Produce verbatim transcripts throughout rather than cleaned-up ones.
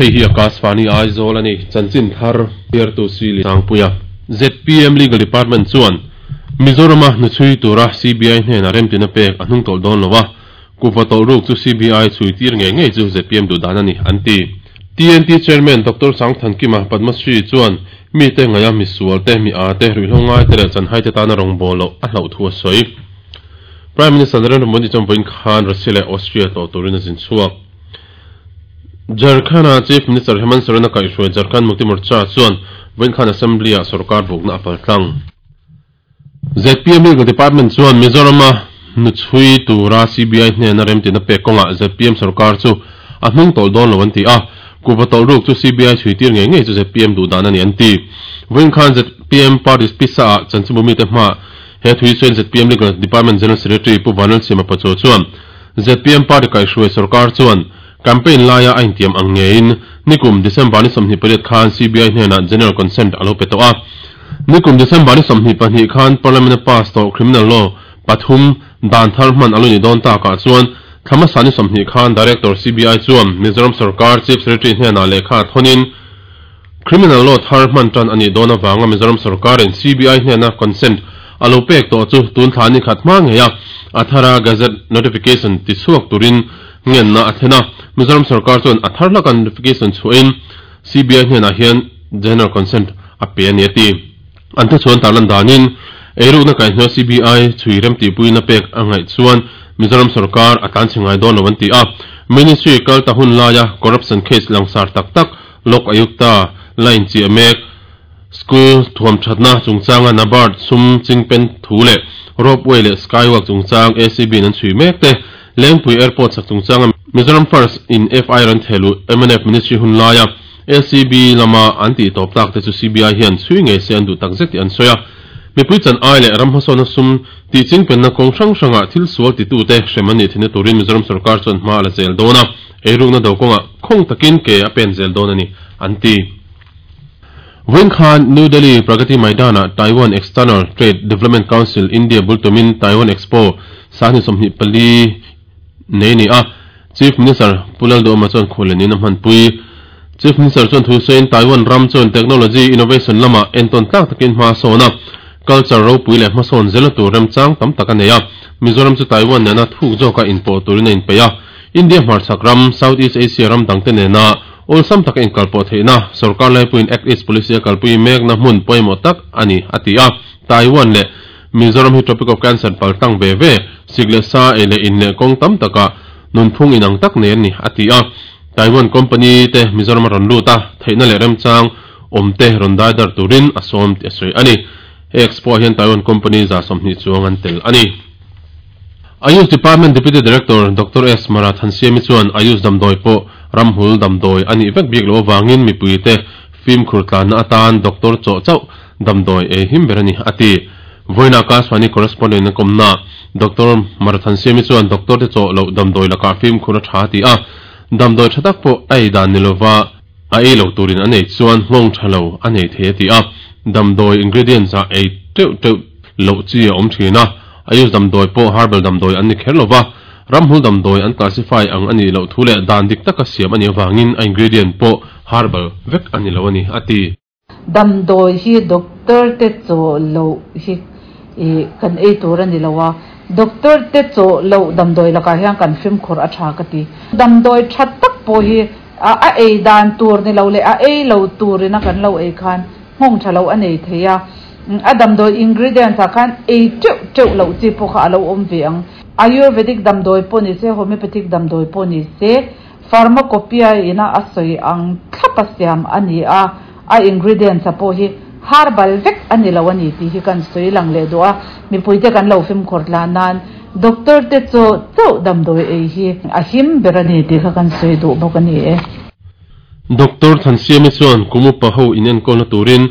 Hei hi Akashvani Aizawl ani chanchin thar tu sili sangpuia Z P M Legal Department chuan Mizorama nuchui tura C B I hnena remtina pek a hnung tawlh dawn lowa kuva tawlh ruk chu C B I chui tir nge ngei chu Z P M duh dan ani anti T N T Chairman Doctor Sangthankima Padmasri chuan mi te ngaya mi sual te mi a te ruihlongai te le chanhai te tana rong bolo a hlau thu a sawi Prime Minister Narendra Modi chuan vawiin khan Russia leh Austria tawh turin a zin chhuak Jharkhand Chief Minister Hemant Soren a kaihhruai Jharkhand Mukti Morcha chuan vawiin khan Assembly ah sarkar bukna a paltlang Z P M Legal Department chuan Mizorama nuchui tura C B I hnena remtina pek kawnga Z P M sarkar chu a hnung tawlh dawn lo an ti a kuva tawlh ruk chu C B I chui tir nge ngei chu Z P M duh dan ani an ti vawiin khan Z P M Party pisa ah chanchinbumi te hma he thui chuan Z P M Legal Department General Secretary Pu Vanlal Siama Pachaw chuan Z P M Party kaihhruai sarkar chuan campaign laia a intiam ang ngein nikum December ni sawmhnih pariat khan C B I hnena general consent alo pe tawh a nikum December ni sawmhnih pahnih khan Parliament pass tawh criminal law pathum dan thar hman alo ni dawn takah chuan thlama ni sawmhnih khan Director C B I chuan Mizoram Sarkar Chief Secretary hnena lehkha thonin criminal law thar hman tan ani dawn awanga Mizoram Sarkarin C B I hnena consent alo pek tawh chu tun thla ni khat hma ngeia athara gazette notification ti chhuak turin ngen na athena Mizoram Sarkar chuan athar hlakan notification chuin C B I hnena hian general consent a pe ani ati anthu chuan tarlan danin eiru na kaihno C B I chui rem ti pui na pek angai chuan Mizoram Sarkar atan chingai dawn lo an ti a Ministry kal ta hun laia corruption case langsar tak tak Lok Ayukta line chi amek school thuam thatna chungchanga NABARD sum chingpen thule ropeway le skywalk chungchang A C B nan chui mek te Lengpui Airport sak chungchanga Mizoram First in F I ran thelu M N F Ministry hun laia A C B lama anti top tak te chu C B I hian chui nge se an du tak zet an soya mipui chan ai le ram hosona sum ti chingpen na kong hrang hranga thil sual ti tu te hremani thina turin Mizoram Sarkar chuan hma la zel dona eiruk na do konga khong takin ke a pen zel don ani anti Vawiin khan New Delhi Pragati Maidana Taiwan External Trade Development Council India bultumin Taiwan Expo sahni sawmhnih pali nei ni a Chief Minister Pulal Doma chuan khulenin a hmanpui Chief Minister chuan thu sawiin Taiwan ram chuan technology innovation lama entawn tlak takin hma sawn a culture ropui leh hmasawn zela tur remchang tam tak a nei a Mizoram chu Taiwan nena thuk zawka inpawh turin a inpeih a India hmarchhak ram Southeast Asia ram dangte nena awlsam taka inkalpawh theihna sarkar laipuiin Act East Policy a kalpui mekna hmun pawimawh tak ani a ti a Taiwan leh Mizoram hi Tropic of Cancer paltlang ve ve sik leh sa ei leh in leh kawng tam taka nunphung inang tak nei ani a ti a Taiwan company te Mizoram a rawn lut a theihna leh remchang awm te rawn daidar turin a sawm ti a sawi ani he expo hian Taiwan company za sawmhnih chuang an tel ani Ayush Department Deputy Director Doctor S Marathansiami chuan Ayush damdawi pawh ramhul damdawi ani vek bik lo awangin mipui te fim khur tlanna atan Doctor chaw chauh damdawi ei him ber ani ati vawiin Akashvani correspondent na kawmna Doctor Marathansiami chuan doctor te chaw lo damdawi laka fim khur a tha ti a damdawi tha tak pawh a ei dan ni lova a ei lo turin a nei chuan nghawng tha lo a nei thei a ti a damdawi ingredients a ei teuh teuh loh chi a awm thin a Ayush damdawi pawh herbal damdawi an ni kher lova ramhul damdawi an classify ang ani lo thu leh dan dik taka siam ani awangin a ingredient pawh herbal vek ani lo ani ati damdawi hi doctor te chaw lo hi e kan ei tur ani lowa doctor te chaw lo damdawi laka hian kan fim khur a tha ka ti damdawi tha tak pawh hi a a ei dan tur ni lo le a ei lo turina kan lo ei khan nghawng tha lo anei theia a damdawi ingredients a khan ei teuh teuh lo chi pawh kha alo awm ve ang ayurvedic damdawi pawh ni se homeopathic damdawi pawh ni se pharmacopoeia ina a sawi ang thlapa siam ani a a ingredients a pawh hi herbal vek ani lo ani tih hi kan sawi lang leh duh a mipui te kan lo fim khur tlan nan doctor te chaw chauh damdawi ei hi a him ber ani tih kha kan sawi duh bawk ani e Doctor Thansiami chuan kumupa ho in enkawlna turin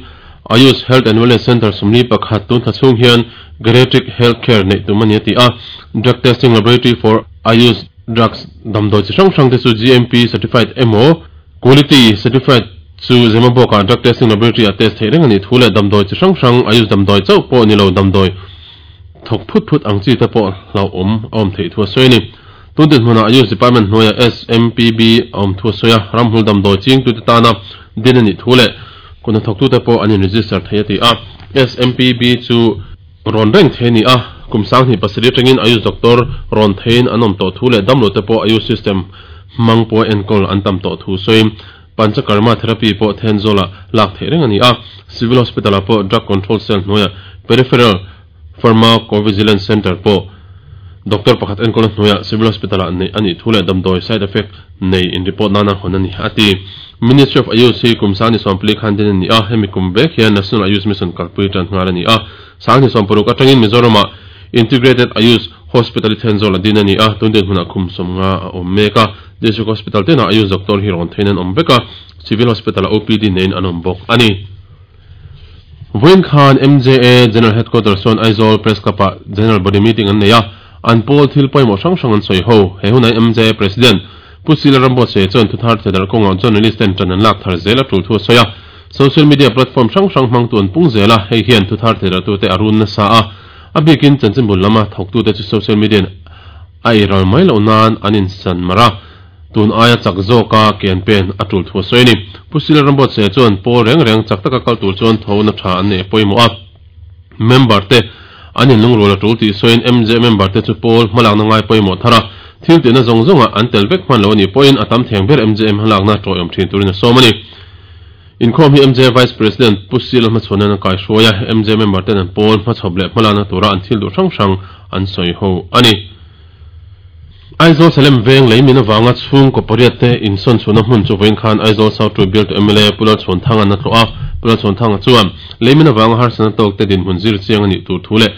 Ayush Health and Wellness Center sumli pakhat tun thachhung hian geriatric health care nei tum ani ati a drug testing laboratory for Ayush drugs damdawi chi hrang hrang te chu G M P certified emaw quality certified chu Zemabawk drug testing laboratory a test thei reng ani thu leh damdawi chi hrang hrang Ayush damdawi chauh pawh ni lo damdawi thawk phut phut ang chi te pawh hlau awm a awm theih thu a sawi ani Tun hmuna Ayush Department hnuaia S M P B awm thu soya ramhul damdawi ching tu te tana din ani thule kuna thok tu te pawh an in register thei ati a S M P B chu ron reng the ni a kum sang ni pasari tangin Ayush doctor ron thein anom to thule damlo te pawh Ayush system mangpo enkol antam to thu soim panchakarma therapy po thenzola lak the reng ani a Civil Hospital po Drug Control Cell hnuaia Peripheral Pharmacovigilance Center po Doctor pakhat enkol hnuaia Civil Hospital ani ani thule damdoi side effect nei in report nana honani ati Ministry of Ayush hi kum sani sompli khan din ni a hemi kum bek hian National Ayush Mission kalpui tan ngal ani a sangni sompuruk atangin Mizorama Integrated Ayush Hospital thenzola din ani a tunden huna khum somnga awm meka District Hospital tena Ayush doctor hi ron theinan awm veka Civil Hospital O P D nein an awm bawk ani Vawiin khan M J A General Headquarters chuan Aizawl Press Club ah General Body Meeting an nei a an pawl thil pawimawh hrang hrang an sawi ho he hunai M J A President Pu Sila Rambo se chuan thuthar thedar kawngah journalist ten tan an lak thar zel a tul thu sawi a social media platform hrang hrang hmang tu an pung zel a hei hian thuthar thedar tu te arun na sa a a bikin chanchinbul lama thawk tu te chu social media a iral mai lo nan an in san mara tun aia chak zawka kian pen a tul thu sawi ni Pu Sila Rambo se chuan pawl reng reng chak taka kal tur chuan tho na tha an nei pawimawh a member te an in lungrul a tul tih sawiin M J member te chu pawl hmalak na ngai pawimawh thara thil tihna zawng zawnga an tel vek hman lo ani pawhin a tam theng ber M J M hmalak na tawih awm thin turin a sawm ani inkhawm hi M J Vice President Pu Sila hmachhawn an kai hruai a M J member ten an pawl hmachhawp leh hmalak na tura an thil duh hrang hrang an sawi ho ani Aizawl Salem veng leimin awanga chhung kawpariat te insawn chhuna hmun chu vawiin khan Aizawl South Tribune to M L A Pulal Chhawnthang an a tlawh a Pulal Chhawnthang chuan leimin awanga harsana tawk te dinhmun zir chiang ani tur thu leh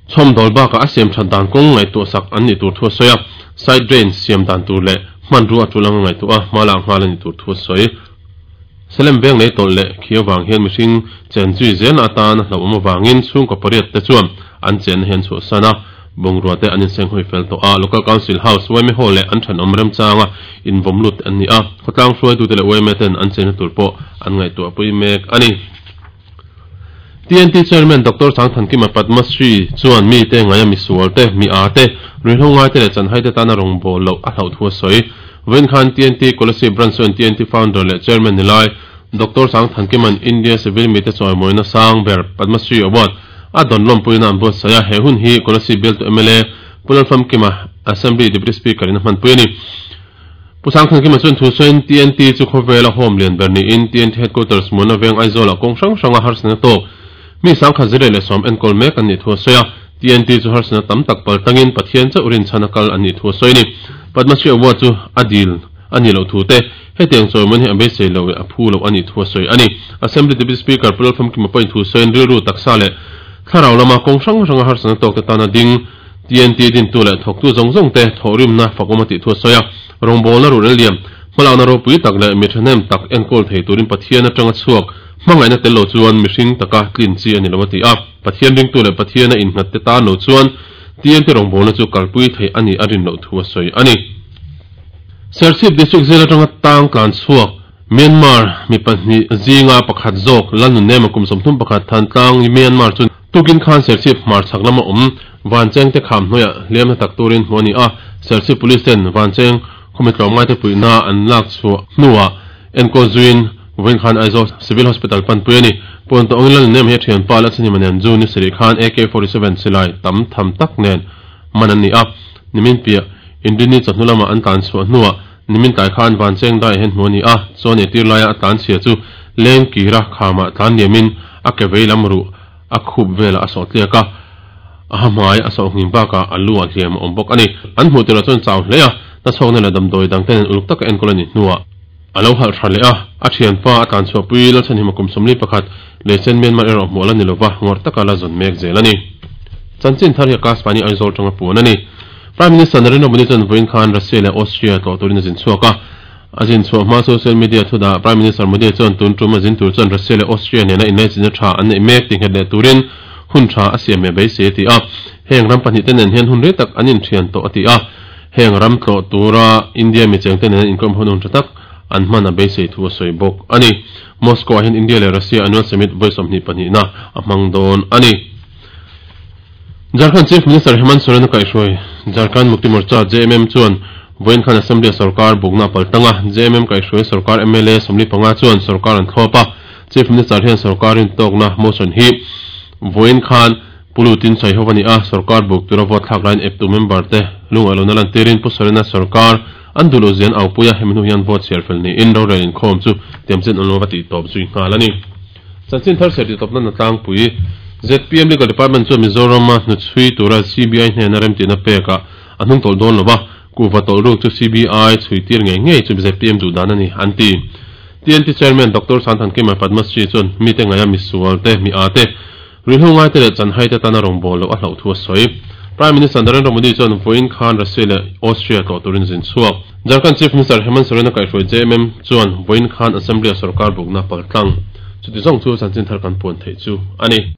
chhawm dawl bakah a siam that dan kawng ngaihtuah sak an ni tur thu a sawi a side drain siam dan tur leh hmanrua a tul anga ngaihtuah a hma lak nghal ani tur thu a sawi Salem veng lei tawlh leh khi awang hian mihring chen zui zel atan a hlauhawm awangin chhung kawpariat te chuan an chen na hian chhuah san a bongrua te an inseng hawi fel tawh a Local Council House Y M A Hall leh an than awm remchanga invawm lut an ni a khawtlang hruai tu te leh Y M A ten an chen na tur pawh an ngaihtuah pui mek ani T N T Chairman Doctor Sangthankima Padma Shri chuan mi te ngaia mi sual te mi a te ruihhlo ngai te leh chanhai te tana rawng bawl loh a hlauh thu a sawi Vawiin khan T N T Kolasib Branch chuan T N T Founder leh Chairman nilai Doctor Sangthankiman India Civil mi te chawimawina sang ber Padma Shri Award a don lawmpuina an buat sawi a he hun hi Kolasib bial to M L A Pulal Famkima Assembly Deputy Speaker in a hmanpui ani Pu Sangthankima chuan thu sawiin T N T chu khawvela home lian ber niin T N T Headquarters hmuna veng Aizawl ah kawng hrang hranga harsana tawk mi sangkhat zireh leh sawm enkawl mek an nih thu a sawi a T N T chu harsana tam tak pal tangin Pathian chauh rinchhan a kal an nih thu a sawi ni Padma Shri Award chu a dil ani lo thu te hetiang chawimawn hi a beisei lo a phu lo ani thu a sawi ani Assembly Deputy Speaker Pulal Famkima pawhin thu sawiin rilru taksa leh thlarau lama kawng hrang hranga harsana tawk te tana ding T N T din tu leh thawk tu zawng zawng te thawhrimna fakawm a tih thu a sawi a rawngbawl na ruh rel liam hmalakna ropui tak leh mi thahnem tak enkawl thei turin Pathian atanga chhuak hmangaihna tel lo chuan mihring taka tlin chi ani lo a ti a Pathian ring tu leh Pathian a innghat te tan lo chuan T N T rawngbawl na chu kalpui thei ani a rin loh thu a sawi ani Serchhip District Jail atanga tang tlan chhuak Myanmar mi pahnih zinga pakhat zawk Lalnun nema kum sawmthum pakhat than tlang Myanmar chu tukin khan Serchhip hmar chhak lama awm Vancheng te kham hnuaiah hliam na tak turin hmu ani a Serchhip Police ten Vancheng khawmi tlawmngai te puihna an lak chhuah hnuah enkawl zuin vawiin khan Aizawl Civil Hospital panpui ani pawn tawh angin Lalnun nem hi a thian pa la chhani manen chu ni sarih khan A K forty-seven silai tam tham tak nen man an ni a nimin piah Indini chawhnu lama an tlan chhuah hnuah nimin tlai khan Vancheng dai hian hmu ani a chuan ei tir laia a tlan chhia chu leng kira khama tlan liamin a ke vei lam ruh a khup vela a sawh tliak a a hmai a sawh hngin bakah a lu a hliam a awm bawk ani an hmuh tirah chuan chau hle a na chhawkna leh damdawi dang ten uluk taka enkawl ani hnuah a lo halh tha leh a a thian pa a tlan chhuah pui Lalchhanhima kum sawmli pakhat lehchen Myanmar erawh hmuh ala ni lova ngawr taka la zawn mek zel ani chanchin thar hi a Akashvani Aizawl tanga puan ani Prime Minister Narendra Modi chuan vawiin khan Russia leh Austria tlawh turin a zin chhuak a a zin chhuah hma social media thudah Prime Minister Modi chuan tun tum a zin tur chuan Russia leh Austria nena inlaichinna tha an nei mek ti nghet leh turin hun tha a siam me beisei ti a heng ram pahnih te nen hian hun rei tak an inthian tawh a ti a heng ram tlawh tura India mi cheng te nen inkhawm hun hun tha tak an hman a beisei thu a sawi bawk ani Moscow ah hian India leh Russia annual summit vawi sawmhnih pahnih na a hmang dawn ani Jharkhand Chief Minister Hemant Soren kai hroi Jharkhand Mukti Morcha J M M chuan voin khan Assembly sarkar bukna paltanga J M M kai hroi sarkar M L A somli panga chuan sarkar an thlopa Chief Minister hian sarkarin tokna motion hi voin khan pulutin chai howani a sarkar buk tura vote thlak line ep tu member te lunga lona lan tirin pu Sorena sarkar andulo zian aupuya hemnu hian vote share fel ni in ro relin khom chu tiamchen onlo ti top zui ngalani chanchin thar seri topna na tlang pui Z P M Legal Department chu Mizoram nu chui tura C B I hne na rem ti na peka anung tol don lova kuwa tol ru chu C B I chui tir nge nge chu Z P M du dan ani anti T N T Chairman Doctor Santhan Kima Padma Shri chun mi te ngaya mi sual te mi a te rilhungai te le chanhai te tana rong bol lo a hlau thu soi Prime Minister Narendra Modi chon voin khan Russia le Austria to turin zin chuak Jharkhand Chief Minister Hemant Soren kai hroi J M M chuan voin khan Assembly sarkar bukna paltlang chu ti zong chu chanchin thar kan pon thei chu ani.